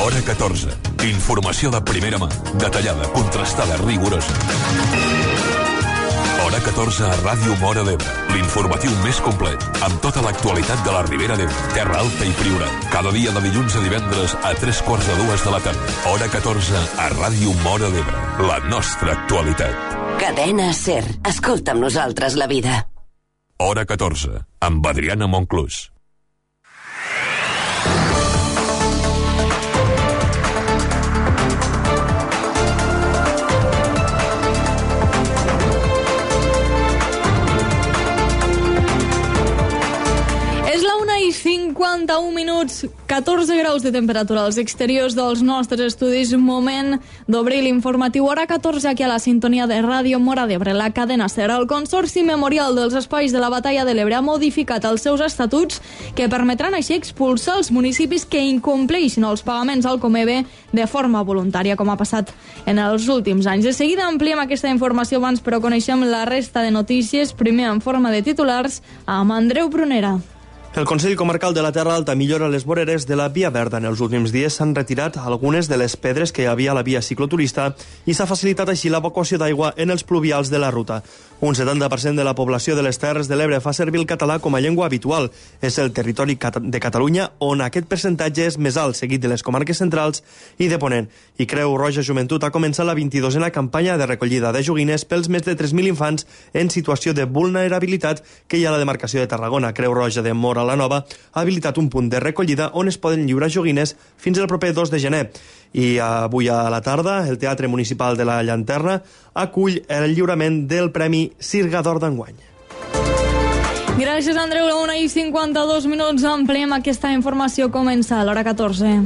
Hora 14. Informació de primera mà, detallada, contrastada, rigorosa. Hora 14 a Ràdio Móra d'Ebre. L'informatiu més complet, amb tota l'actualitat de la Ribera d'Ebre, Terra Alta i Priorat. Cada dia de dilluns a divendres a 3:45 de la tarda. Hora 14 a Ràdio Móra d'Ebre. La nostra actualitat. Cadena SER. Escolta amb nosaltres la vida. Hora 14, amb Adriana Monclús. És la 1:51 minuts, 14 graus de temperatura als exteriors dels nostres estudis. Moment d'obrir l'informatiu Hora 14 aquí a la sintonia de Ràdio Móra d'Ebre, la cadena SER. El Consorci Memorial dels Espais de la Batalla de l'Ebre ha modificat els seus estatuts que permetran així expulsar els municipis que incompleixin els pagaments al Comebe de forma voluntària, com ha passat en els últims anys. De seguida ampliem aquesta informació abans, però coneixem la resta de notícies, primer en forma de titulars, amb Andreu Prunera. El Consell Comarcal de la Terra Alta millora les voreres de la Via Verda. En els últims dies s'han retirat algunes de les pedres que hi havia a la via cicloturista i s'ha facilitat així l'evacuació d'aigua en els pluvials de la ruta. Un 70% de la població de les Terres de l'Ebre fa servir el català com a llengua habitual. És el territori de Catalunya on aquest percentatge és més alt, seguit de les comarques centrals i de Ponent. I Creu Roja Joventut ha començat la 22a campanya de recollida de joguines pels més de 3.000 infants en situació de vulnerabilitat que hi ha a la demarcació de Tarragona. Creu Roja de Móra la Nova ha habilitat un punt de recollida on es poden lliurar joguines fins al proper 2 de gener. I avui a la tarda el Teatre Municipal de la Llanterna acull el lliurament del Premi Sirga d'Or d'enguany. Gràcies, Andreu. La 1:52 minuts. Ampliem aquesta informació. Comença a l'hora 14.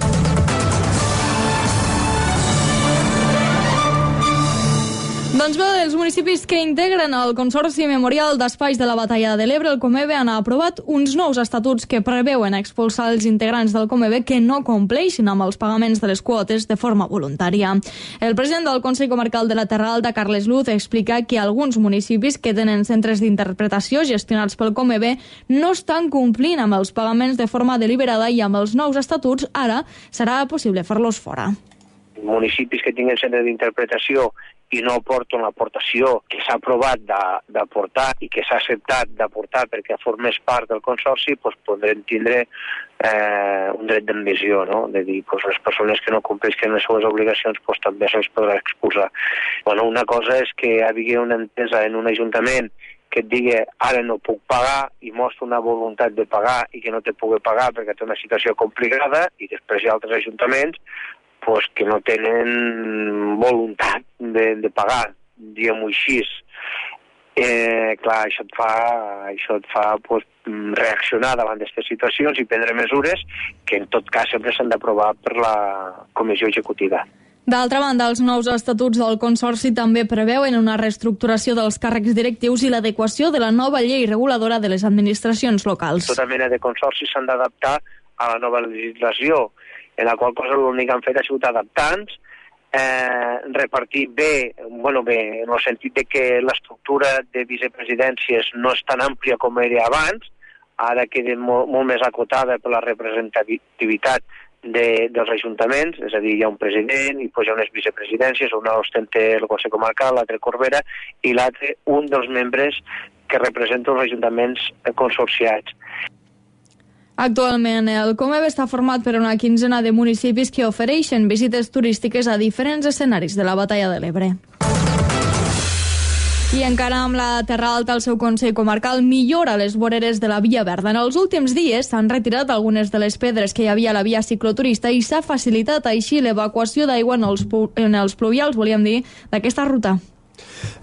Doncs bé, els municipis que integren el Consorci Memorial d'Espais de la Batalla de l'Ebre, el Comebe, han aprovat uns nous estatuts que preveuen expulsar els integrants del Comebe que no compleixin amb els pagaments de les quotes de forma voluntària. El president del Consell Comarcal de la Terra Alta, Carles Luz, explica que alguns municipis que tenen centres d'interpretació gestionats pel Comebe no estan complint amb els pagaments de forma deliberada i amb els nous estatuts ara serà possible fer-los fora. Municipis que tinguen centre d'interpretació i no aporten l'aportació que s'ha aprovat d'aportar i que s'ha acceptat d'aportar perquè formés part del Consorci, doncs podrem tindre un dret d'admissió, no? De dir, doncs les persones que no compleixen les seves obligacions doncs també se'ls podrà expulsar. Bueno, una cosa és que hi hagi una entesa en un ajuntament que et digui ara no puc pagar i mostra una voluntat de pagar i que no te pugui pagar perquè té una situació complicada, i després hi ha altres ajuntaments pues, que no tenen voluntat de pagar, diguem-ho així. Clar, això et fa pues, reaccionar davant d'aquestes situacions i prendre mesures que en tot cas sempre s'han d'aprovar per la Comissió Executiva. D'altra banda, els nous estatuts del Consorci també preveuen una reestructuració dels càrrecs directius i l'adequació de la nova llei reguladora de les administracions locals. Tota mena de consorcis s'han d'adaptar a la nova legislació, en la qual cosa l'únic que han fet ha sigut adaptar-nos, repartir bé, en el sentit de que l'estructura de vicepresidències no és tan àmplia com era abans, ara queda molt més acotada per la representativitat dels ajuntaments, és a dir, hi ha un president i hi ha unes vicepresidències, una ostenta el Consell Comarcal, l'altre Corbera, i l'altre un dels membres que representa els ajuntaments consorciats. Actualment, el Comebe està format per una quinzena de municipis que ofereixen visites turístiques a diferents escenaris de la Batalla de l'Ebre. I encara amb la Terra Alta, el seu Consell Comarcal millora les voreres de la Via Verda. En els últims dies s'han retirat algunes de les pedres que hi havia a la via cicloturista i s'ha facilitat així l'evacuació d'aigua en els pluvials, volíem dir, d'aquesta ruta.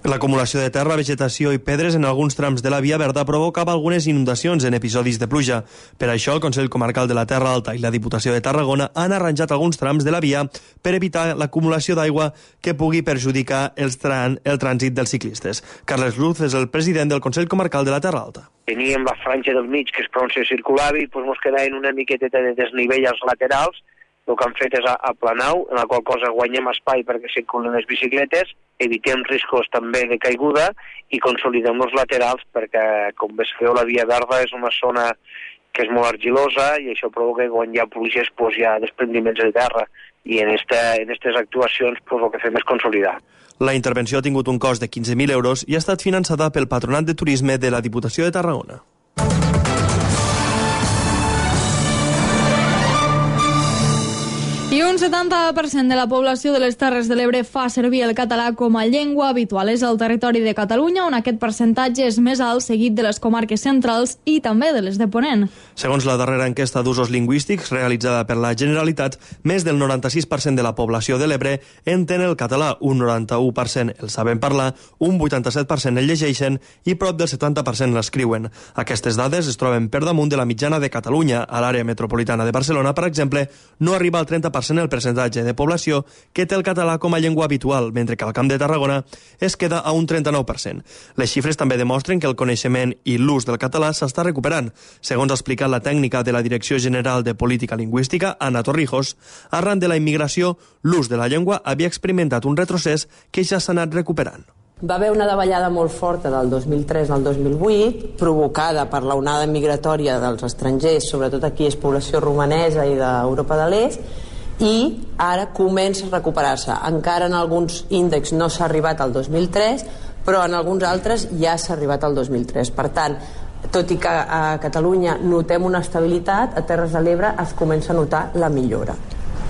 L'acumulació de terra, vegetació i pedres en alguns trams de la Via Verda provocava algunes inundacions en episodis de pluja. Per això, el Consell Comarcal de la Terra Alta i la Diputació de Tarragona han arranjat alguns trams de la via per evitar l'acumulació d'aigua que pugui perjudicar el trànsit dels ciclistes. Carles Luz és el president del Consell Comarcal de la Terra Alta. Teníem la franja del mig, que és per on se circulava, i ens quedaven una miqueta de desnivell als laterals. El que han fet és aplanar-ho, en la qual cosa guanyem espai perquè circulen les bicicletes, evitem riscos també de caiguda i consolidem els laterals perquè, com bé sabeu, la Via Verda és una zona que és molt argilosa, i això provoca que quan hi ha pluges hi ha desprendiments de terra, i en aquestes actuacions el que fem és consolidar. La intervenció ha tingut un cost de 15.000 euros i ha estat finançada pel Patronat de Turisme de la Diputació de Tarragona. I un 70% de la població de les Terres de l'Ebre fa servir el català com a llengua habitual. És el territori de Catalunya on aquest percentatge és més alt, seguit de les comarques centrals i també de les de Ponent. Segons la darrera enquesta d'usos lingüístics realitzada per la Generalitat, més del 96% de la població de l'Ebre entén el català, un 91% el saben parlar, un 87% el llegeixen i prop del 70% l'escriuen. Aquestes dades es troben per damunt de la mitjana de Catalunya. A l'àrea metropolitana de Barcelona, per exemple, no arriba al 30% el percentatge de població que té el català com a llengua habitual, mentre que al Camp de Tarragona es queda a un 39%. Les xifres també demostren que el coneixement i l'ús del català s'està recuperant. Segons ha explicat la tècnica de la Direcció General de Política Lingüística, Ana Torrijos, arran de la immigració, l'ús de la llengua havia experimentat un retrocés que ja s'ha anat recuperant. Va haver una davallada molt forta del 2003 al 2008, provocada per l'onada migratòria dels estrangers, sobretot aquí és població romanesa i d'Europa de l'Est, i ara comença a recuperar-se. Encara en alguns índexs no s'ha arribat al 2003, però en alguns altres ja s'ha arribat al 2003. Per tant, tot i que a Catalunya notem una estabilitat, a Terres de l'Ebre es comença a notar la millora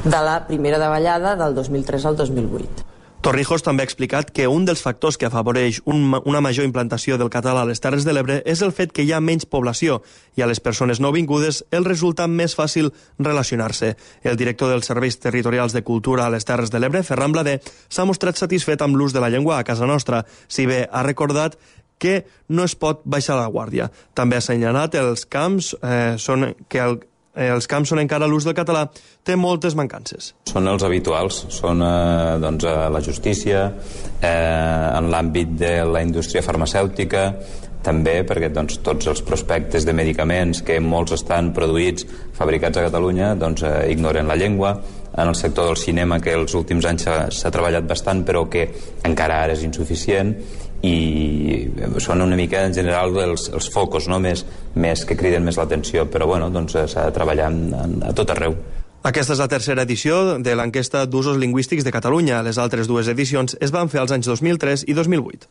de la primera davallada del 2003 al 2008. Torrijos també ha explicat que un dels factors que afavoreix una major implantació del català a les Terres de l'Ebre és el fet que hi ha menys població i a les persones nouvingudes els resulta més fàcil relacionar-se. El director dels Serveis Territorials de Cultura a les Terres de l'Ebre, Ferran Blader, s'ha mostrat satisfet amb l'ús de la llengua a casa nostra, si bé ha recordat que no es pot baixar la guàrdia. També ha assenyalat els camps on encara l'ús del català té moltes mancances. Són els habituals, són la justícia, en l'àmbit de la indústria farmacèutica, també perquè tots els prospectes de medicaments que molts estan produïts, fabricats a Catalunya, ignoren la llengua. En el sector del cinema, que els últims anys s'ha treballat bastant, però que encara ara és insuficient, i són una mica en general els focus, no? més que criden més l'atenció, però s'ha de treballar a tot arreu. Aquesta és la tercera edició de l'enquesta d'usos lingüístics de Catalunya. Les altres dues edicions es van fer als anys 2003 i 2008.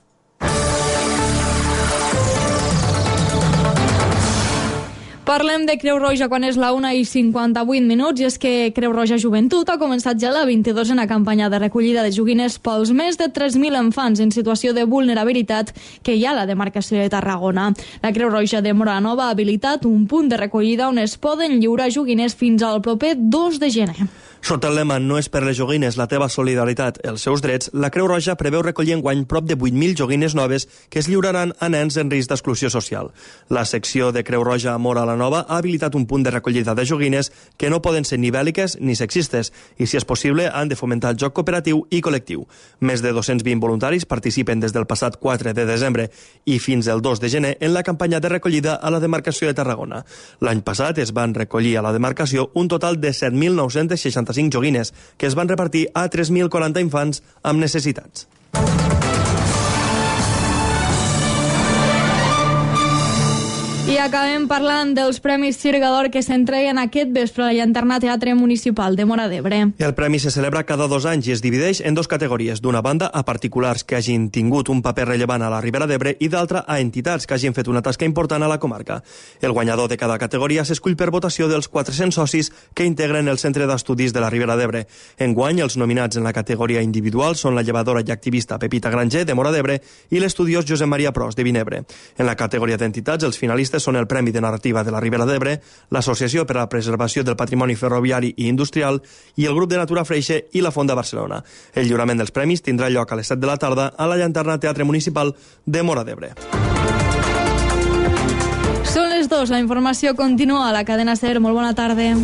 Parlem de Creu Roja quan és la 1:58, i és que Creu Roja Joventut ha començat ja la 22a campanya de recollida de joguines pels més de 3.000 infants en situació de vulnerabilitat que hi ha a la demarcació de Tarragona. La Creu Roja de Móra Nova ha habilitat un punt de recollida on es poden lliurar joguines fins al proper 2 de gener. Sota el lema "No és per les joguines, la teva solidaritat, els seus drets", la Creu Roja preveu recollir enguany prop de 8.000 joguines noves que es lliuraran a nens en risc d'exclusió social. La secció de Creu Roja a Móra la Nova ha habilitat un punt de recollida de joguines que no poden ser ni bèl·liques ni sexistes i, si és possible, han de fomentar el joc cooperatiu i col·lectiu. Més de 220 voluntaris participen des del passat 4 de desembre i fins al 2 de gener en la campanya de recollida a la demarcació de Tarragona. L'any passat es van recollir a la demarcació un total de 7.965 joguines que es van repartir a 3.040 infants amb necessitats. I acabem parlant dels Premis Sirga d'Or que s'entreguen aquest vespre a la Llanterna Teatre Municipal de Móra d'Ebre. El premi se celebra cada 2 anys i es divideix en 2 categories. D'una banda, a particulars que hagin tingut un paper rellevant a la Ribera d'Ebre, i d'altra, a entitats que hagin fet una tasca important a la comarca. El guanyador de cada categoria s'escull per votació dels 400 socis que integren el Centre d'Estudis de la Ribera d'Ebre. Enguany, els nominats en la categoria individual són la llevadora i activista Pepita Granger, de Móra d'Ebre, i l'estudiós Josep Maria Pros, de Vinebre. En la categoria d'entitats, els finalistes són el Premi de Narrativa de la Ribera d'Ebre, l'Associació per a la Preservació del Patrimoni Ferroviari i Industrial i el Grup de Natura Freixe i la Font de Barcelona. El lliurament dels premis tindrà lloc a les 7 de la tarda a la Llanterna Teatre Municipal de Móra d'Ebre. Són les 2, la informació continua a la cadena SER. Molt bona tarda.